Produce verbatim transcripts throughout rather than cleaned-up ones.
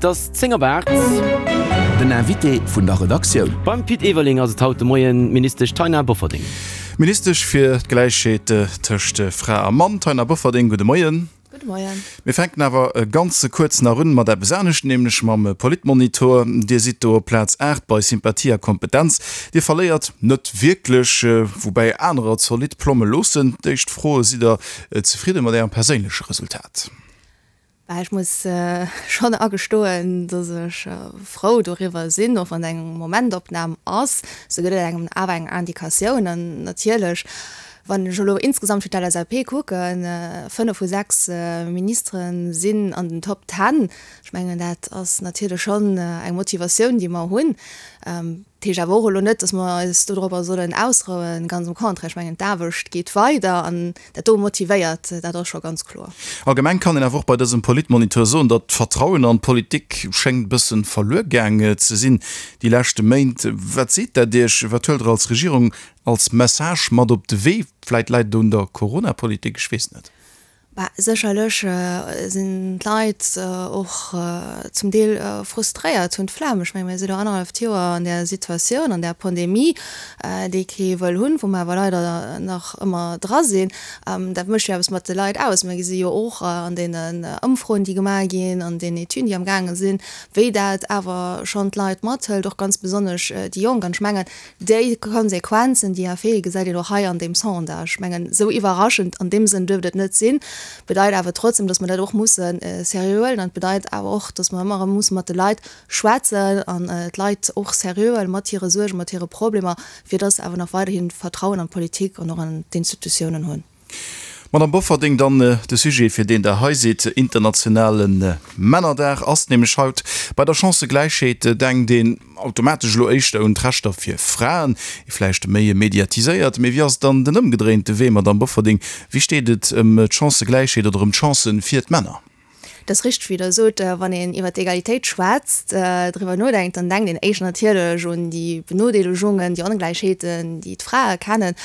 Et ass zéng op aacht. Den Invité vun der Redaktioun. Beim Pit Everling ass et haut de Moien d'Ministesch Taina Bofferding. Ministesch fir d'Gläichheet tëscht Fra a Mann, Taina Bofferding, gudde Moien. Gudde Moien. Mir fänken awer ganz kuerz nach un mat eppes anescht, nämlech mam Politmonitor. Dir sidd do op Plaz aacht bei Sympathie a Kompetenz. Dir verléiert net wierklech, woubäi anerer zolidd Plomme loossen. D'éischt Fro, Sidd Der zefridde mat Ärem perséinleche Resultat? Bah, ech muss schonn agestoen, dass ech frou doriwwer sinn, och wann et eng Momentopnam ass, sou gëtt et engem awer eng Indikatioun. An natierlech, wann ech elo insgesamt fir d'LSAP kucken, fënnef vu sechs Ministere sinn an den Top Ten. Ech mengen, dat ass natierlech schonn eng Motivatioun, déi mer hunn. Dat heescht awer och elo net, dass mer eis dodropper sollen ausrouen, ganz am Contraire. Ech mengen, d'Aarbecht geet weider an dat do motivéiert, dat ass scho ganz kloer. Allgemeng kann een awer och bei dësem Politmoniteur soen, datt d'Vertrauen an d'Politik schéngt e bësse verluer gaang ze sinn déi leschte Méint. Wat seet dat Iech? Wat huelt Der als Regierung als Message mat op de Wee? Vläit läit et un der Coronapolitik, ech weess net. Bah, sécherlech sinn d'Leit och zum Deel frustréiert, hunn d'Flemm. Ech menge mir si lo annerhalleft Joer an där Situatioun, an där Pandemie, déi kee wëll hunn, wou mer awer leider nach ëmmer dra sinn. Dat mécht jo eppes mat de Leit aus. Mir gesi jo och an deenen Ëmfroen, déi gemaach ginn, an den Etüden, déi amgaange sinn, wéi dat awer schonn d'Leit mathëlt, och ganz besonnesch déi Jonk. An ech mengen, déi Konsequenzen, déi Effete gesäit een och hei an deem Sondage. Ech mengen, esou iwwerraschend an deem Sënn duerft et net sinn. Bedeit awer trotzdem, dass mer dat och musse seriö huelen an et bedeit awer och, dass mer ëmmer erëm musse mat de Leit schwätzen an d'Leit och seriö huelen mat hire Suergen, mat hire Problemer, fir dass se awer nach weiderhi Vertrauen an d'Politik an och an d'Institutiounen hunn. Madame Bofferding, dann de Sujet, fir deen Der hei sidd, Internationale Männerdag ass nämlech haut. Bei der Chancëgläichheet denkt een automatesch elo éischter un d'Rechter fir Fraen, vläicht méi mediatiséiert. Mee wéi ass et dann den ëmgedréinte Wee, Madame Bofferding? Wéi steet et ëm d'Chancëgläichheet oder ëm d'Chancë fir d'Männer? Et ass richteg, wéi Der sot, wann een iwwer d'Egalitéit schwätzt, driwwer nodenkt, dann denkt een éischter natierlech un déi Benodeelegungen, déi Ongläichheeten, déi d'Frae kennen.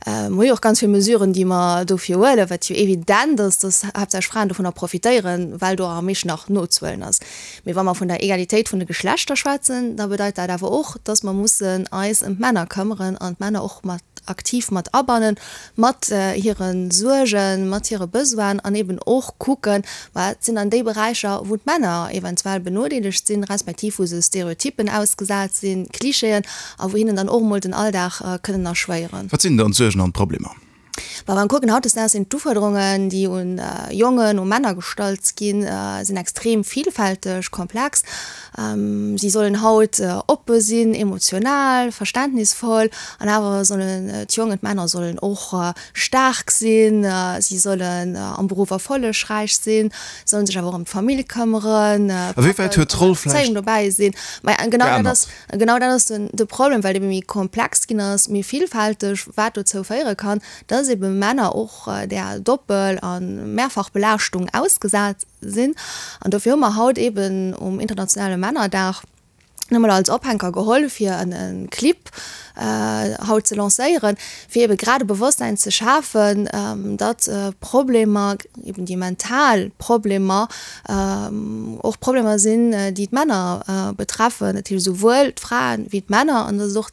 Mer hu jo och ganz vill Mesuren, déi mer dofir huelen, wat jo evident ass, dass haaptsächlech Fraen dovunner profitéieren, well do am meeschten nach nozehuelen ass. Mee wa mer vun der Egalitéit vun de Geschlechter schwätzen, da bedeit dat awer och, dass mer mussen eis ëm d'Männer këmmeren an d'Männer och mat aktiv mat abannen, mat hire Suergen, mat hire Besoinen an eben och kucken, wat sinn dann déi Beräicher, wou d'Männer eventuell benodeelegt sinn, respektiv wou se Stereotyppen ausgesat sinn, Klischeeën, a wou hinnen dann och emol den Alldag kënnen erschwéieren. Wat sinn dann d'Suergen an d'Problemer? Wa mer kucken, hautdesdaags sinn d'Ufuerderungen, déi un Jongen, u Männer gestallt ginn, sinn extrem vielfälteg, komplex. Si sollen haut oppe sinn, emotional, verständnisvoll, an awer sollen d'Jongen, d'Männer sollen och staark sinn, si sollen am Beruff erfollegräich sinn, sollen sech awer och ëm d'Famill këmmeren, A wéi wäit huet d'Roll vläicht Bezéiung dobäi sinn. Mä genau dat geännert? ass, genau dat ass den, de Problem, well et ebe méi komplex ginn ass, méi villfälteg, wat dozou féiere kann, dass ebe Männer och där Doppel a Mehrfachbelaaschtung ausgesat sinn. An dofir hu mer haut eben um internationale Männerdag nëmmen als Ophänker geholl, fir en Clip haut ze lancéieren, fir ebe grad e Bewosstsein ze schafen, datt Problemer, eben déi mental Problemer, och Problemer sinn, déi d'Männer betreffen, dat heescht esouwuel d'Fraen wéi d'Männer, an datt et och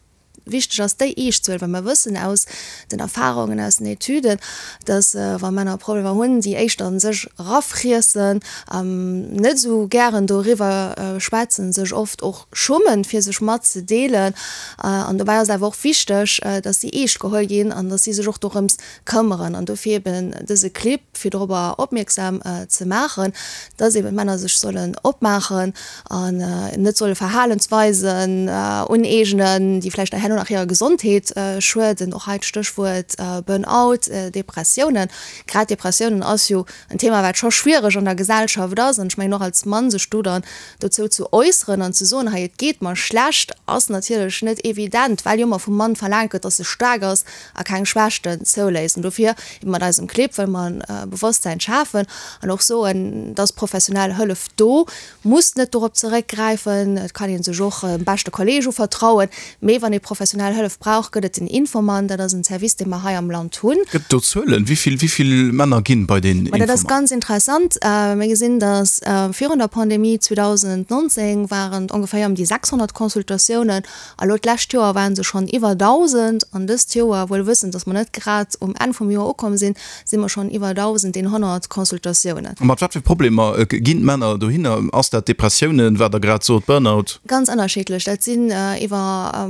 wichteg ass, déi eescht ze huelen, well mer wëssen aus den Erfahrungen, aus den Etüden, dass, wa Männer Problemer hunn, si éischter a sech erafriessen, net esou gären doriwwer schwätzen, sech oft och schummen, fir sech matzedeelen. An dobäi ass et awer och wichteg, dass si eescht geholl ginn an dass si sech och dorëms këmmeren. An dofir eben dëse Clip, fir dorobber opmierksam ze maachen, dass eben d'Männer sech sollen opmaachen an net solle Verhalensweisen uneegnen, déi vläicht herno nach hirer Gesondheet schueden. Och hei d'Stéchwuert Burnout, Depressiounen. Grad Depressiounen ass jo en Thema, wat scho schwiereg an der Gesellschaft ass. An ech mengen och als Mann sech do dann dozou ze äusseren an ze soen, hei et geet mer schlecht, ass natierlech net evident, well jo ëmmer vum Mann verlaangt gëtt, dass e staark ass a keng Schwächten zouléisst. An dofir ebe mat eisem Clip wëlle mer e Bewosstsäin schafen an och soen, et ass professionell Hëllef do, muss net dorop zeréckgräifen, et kann ee sech och dem beschte Kolleeg uvertrauen, mee wann ee professionell professionell Hëllef brauch, gëtt et den Infomann, dat ass en Service, dee mer hei am Land hunn. Gëtt et do Zuelen, wéi vill, wéi vill Männer ginn bei den Infomann? Dat ass ganz interessant. Mir gesinn, dass virun der Pandemie zweedausendnonzéng waren et ongeféier ëm déi sechshonnert Consultatiounen, a lo d'lescht Joer waren se schonn iwwer dausend an dëst Joer, wuel wëssend, dass mer net grad um Enn vum Joer ukomm sinn, si mer schonn iwwer dausendeenhonnert Consultatiounen. A mat wat fir Problemer ginn d'Männer dohinner? Ass dat Depressiounen, wat Der grad sot, Burnout? Ganz ënnerschiddlech. Dat sinn iwwer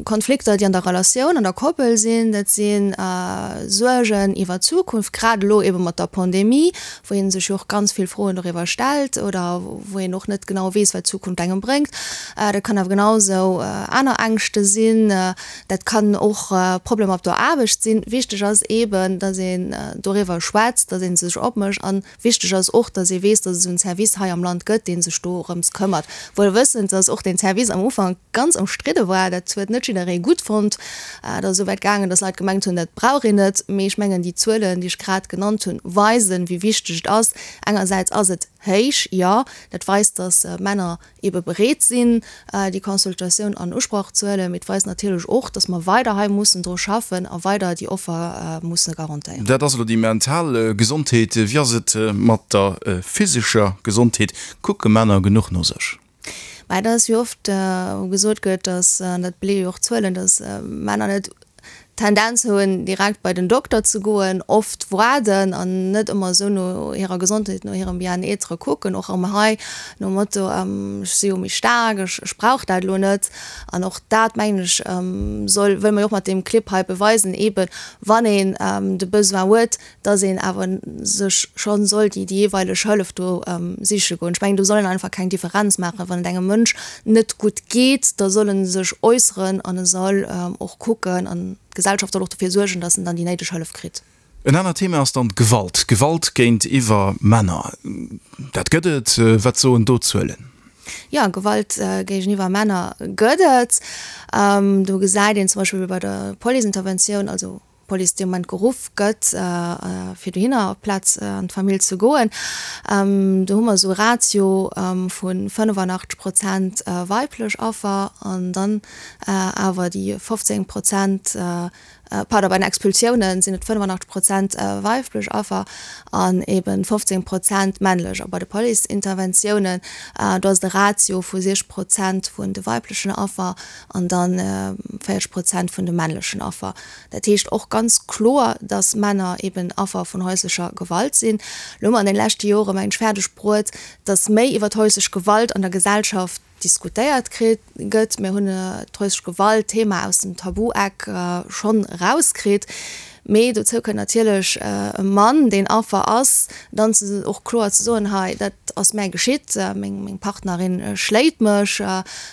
Konflikter, déi an der Relatioun, an der Koppel sinn. Dat si Suergen iwwer d'Zukunft, grad elo ebe mat der Pandemie, wou ee sech jo och ganz vill Froen doriwwer stellt oder wou een och net genau weess, wat d'Zukunft engem bréngt. Dat kann awer genau esou aner Ängschte sinn. Dat kann och Problemer op der Aarbecht sinn. Wichteg ass eeben, datt een doriwwer schwätzt, datt ee sech opmécht. A wichteg ass och, datt ee weess, datt et esou en Service hei am Land gëtt, dee sech dorëms këmmert. Wuel wëssend, datt och deen Service am Ufank ganz ëmstridde war. Dat huet net jidderee gutt fonnt. Et ass esouwäit gaangen, datt Leit gemengt hunn, dat brauch een net. Mee ech mengen, déi Zuelen, déi ech grad genannt hunn, weisen, wéi wichteg et ass. Engersäits ass et héich, jo, dat weist, datt Männer eebe bereet sinn, déi Consultatioun an Usproch ze huelen. Mee et weist natierlech och, datt mer weider hei mussen dru schaffen a weider déi Offer musse garantéieren. Dat ass elo déi mental Gesondheet. Wéi ass et mat der physescher Gesondheet? Kucke Männer genuch no sech? Mä dat ass, wéi oft gesot gëtt, datt, an dat beleeë jo och d'Zuelen, datt Männer net d'Tendenz hunn, direkt bei den Dokter ze goen, oft waarden an net ëmmer esou no hirer Gesondheet, no hirem Bien-être kucken, och erëm hei nom Motto, ech si jo méi staark, ech ech brauch dat elo net. An och dat, mengen ech, soll, wëlle mer jo och mat deem Clip hei beweisen, eeben, wann een de Besoin huet, dass een awer sech scho soll déi jeeweileg Hëllef do siche goen. Ech mengen, do soll een einfach keng Differenz maachen. Wann et engem Mënsch net gutt geet, da soll e sech äusseren an e soll och kucken an d'Gesellschaft soll och dofir suergen, dass en dann déi néideg Hëllef kritt. En anert Thema ass dann d'Gewalt, Gewalt géintiwwer Männer. Dat gëtt et. Wat soen do d'Zuelen? Jo, Gewalt géigeniwwer Männer gëtt et. Do gesäit een zum Beispill bei der Policeinterventioun, also d'Police dee Moment geruff gëtt, fir dohinner op d'Plaz an d'Famill ze goen, do hu mer esou e Ratio vu fënnefanachteg Prozent weiblech Affer an dann awer déi fofzéng Prozent, pardon, bei den Expulsiounen sinn et fënnefanachteg Prozent weiblech Affer an eeben fofzéng Prozent männlech. A bei de Policeinterventiounen, do ass et e Ratio vu siech Prozent vun de weiblechen Affer an dann véierzeg Prozent vun de männlechen Affer. Dat heescht och ganz kloer, dass Männer eben Affer vun häuslecher Gewalt sinn. Elo hu mer an den leschte Jore mengen ech fäerdeg bruet, dass méi iwwer häuslech Gewalt an der Gesellschaft diskutéiert kritt gëtt. Mir hunn d'häuslech Gewalt-Thema aus dem Tabu-Eck schonn erauskritt. Mee dozou kënnt natierlech e Mann, deen Affer ass, dann ze och kloer ze soen, hei dat ass mär geschitt, meng Partnerin schléit mech,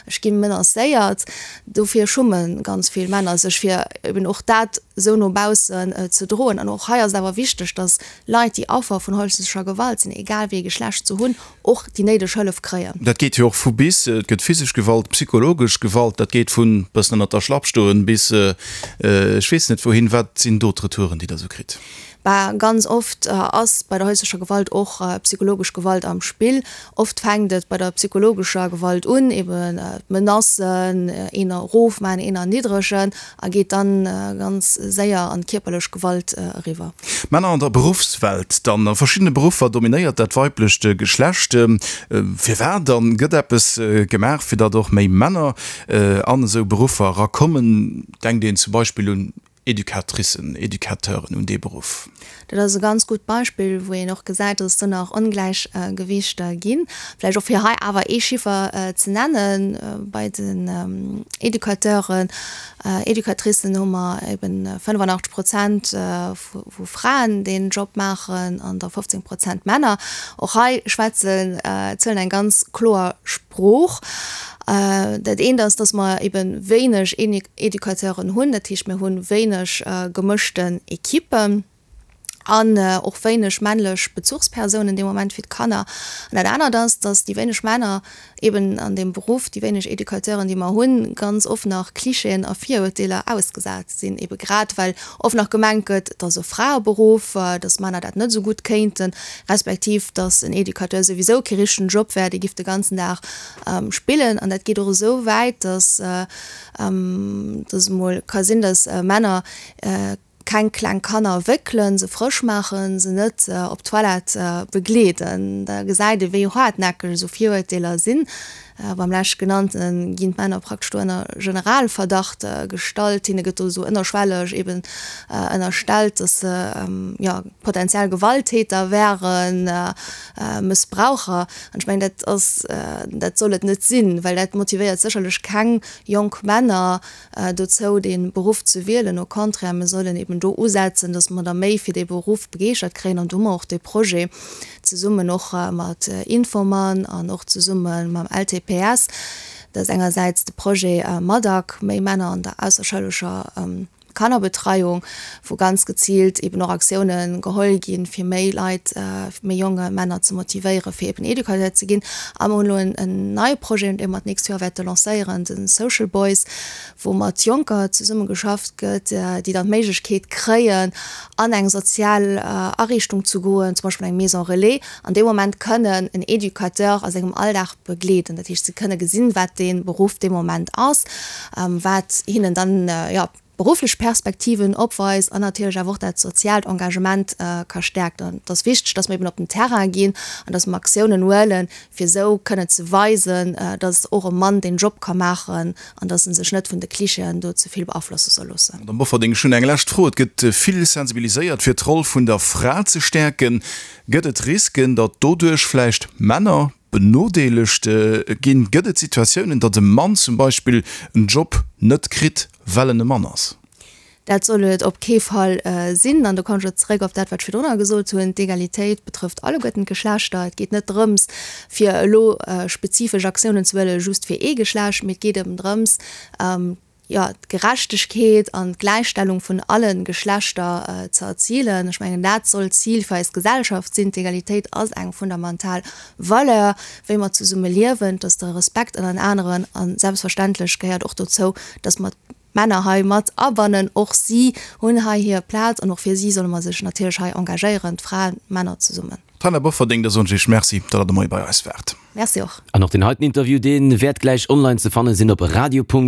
ech gi menacéiert. Dofir schumme ganz vill Männer sech, fir eben och dat esou no baussen ze droen. An och hei ass et awer wichteg, datt Leit, déi Affer vun häuslecher Gewalt sinn, egal wéi ee Geschlecht se hunn, och déi néideg Hëllef kréien. Dat geet jo och vu bis, et gëtt physesch Gewalt, psychologesch Gewalt, dat geet vun bëssen ënnert der Schlapp stoen bis ech weess net wouhin. Wat sinn do d'Retouren, déi Der esou kritt? Bah, ganz oft ass bei der häuslecher Gewalt och psychologesch Gewalt am Spill. Oft fänkt et bei der psychologescher Gewalt un, eben d'Menacen, een erofmaachen, een erniddregen, a geet dann ganz séier an d'kierperlech Gewalt eriwwer. Männer an der Beruffswelt dann. A verschiddene Beruffer dominéiert dat weiblecht Geschlecht. Firwat dann? Gëtt eppes gemaach, fir datt och méi Männer an esou Beruffer erakommen? Denkt een zum Beispill un Educatricen, Educateuren, un dee Beruff. Dat ass e ganz gutt Beispill, wou een och gesäit, dass et do nach Ongläichgewiichter ginn. Vläicht och fir hei awer ee Chiffer ze nennen, Bei den Educateuren, Educatricen hu mer eben fënnefanachteg Prozent vu Fraen, déi den Job maachen, an da fofzéng Prozent Männer. Och hei schwätzen d'Zuelen eng ganz kloer Sprooch. Dat eent ass, dass mer ebe wéineg Educateuren hunn, dat heescht mir hu wéineg gemëschten Ekippen. An och wéineg männlech Bezuchspersounen dee Moment fir d'Kanner. An dat anert ass, dass déi wéineg Männer eben an deem Beruff, déi wéineg Educateuren, déi mer hunn, ganz oft nach Klischeeën a Virurteeler ausgesat sinn, ebe grad well oft nach gemengt gëtt, et ass e Fraeberuff, dass Männer dat net esou gutt kéinten, respektiv dass en Educateur souwisou kee richtegen Job wär, dee giff de ganzen Dag spillen. An dat geet och esou wäit, dass dass emol ka sinn, dass Männer keng kleng Kanner wéckelen, se frësch maachen, se net op d'Toilette begleeden. Da gesäit ee wéi haartnäckeg esou Virurteeler sinn. Beim leschtgenannte ginn d'Männer praktesch do ënner Generalverdacht gestallt. Hinne gëtt do esou ënnerschwelleg eben ënnerstellt, datt se jo potentiell Gewalttäter wären, Mëssbraucher. An ech mengen, dat ass, dat soll et net sinn, well dat motivéiert sécherlech keng jonk Männer dozou, dee Beruff ze wielen. Au contraire, mir sollen eben do usetzen, datt mer der méi fir dee Beruff begeeschtert kréien. An do hu mer och dee Projet zesummen och mat Infomann an och zesumme mam LTPS. Dat ass engersäits de Projet MADAC, méi Männer an der ausserschoulescher Kannerbetreiung, wou ganz geziilt eben och Aktioune geholl ginn, fir méi Leit, méi jonge Männer ze motivéieren, fir eben Educateur ze ginn. A mer hunn elo en neie Projet, dee mer d'nächst Joer wäerte lancéieren, de Social Boys, wou mat Jonker zesumme geschafft gëtt, déi dann d'Méiglechkeet kréien, an eng sozial Ariichtung ze goen, zum Beispill eng Maison relais, an dee Moment kënnen en Educateur a sengem Alldag begleeden. Dat heescht, se kënne gesinn, wat dee Beruff dee Moment ass, wat hinnen dann, jo, berufflech Perspektiven opweist an natierlech awer och dat soziaalt Engagement ka stäerken. An et ass wichteg, dass mer eben op den Terrain ginn an dass mer Aktiounen huelen, fir esou kënnen ze weisen, dass och e Mann deen Job ka maachen an dass en sech net vun de Klischeeën do ze vill beaflosse soll loossen. Madamm Bofferding, ech hunn eng lescht Fro. Et gëtt vill sensibiliséiert, fir d'Roll vun der Fra ze stäerken. Gëtt et Risken, datt doduerch vläicht Männer benodeelegt ginn? Gëtt et Situatiounen, datt e Mann zum Beispill en Job net kritt, well en e Mann ass? Dat soll et op kee Fall sinn. An do kommen ech och zeréck op dat, wat ech virdrunner gesot hunn, D'Egalitéit betrëfft alleguerten d'Geschlechter. Et geet net drëms, fir elo spezifesch Aktiounen ze huelen, just fir ee Geschlecht, mee et geet eben drëms, jo, d'Gerechtegkeet an d'Gläichstellung vun alle Geschlechter ze erzilen. Ech mengen, dat soll d'Zil fir eis Gesellschaft sinn. D'Egalitéit ass eng fundamental Valeur, wéi mer zesumme liewen, dass de Respekt ënnert aneren a selbstverständlech gehéiert och dozou, dass mer d'Männer hei mat abannen. Och si hunn hei hir Plaz an och fir si solle mer sech natierlech hei engagéieren, d'Fraen, d'Männer zesummen. D'Taina Bofferding, da soen ech Iech Merci, datt Der de Moie bei eis waart. Merci och. An och deen heiten Interview, dee wäert gläich online ze fanne sinn op radio.rtl.lu.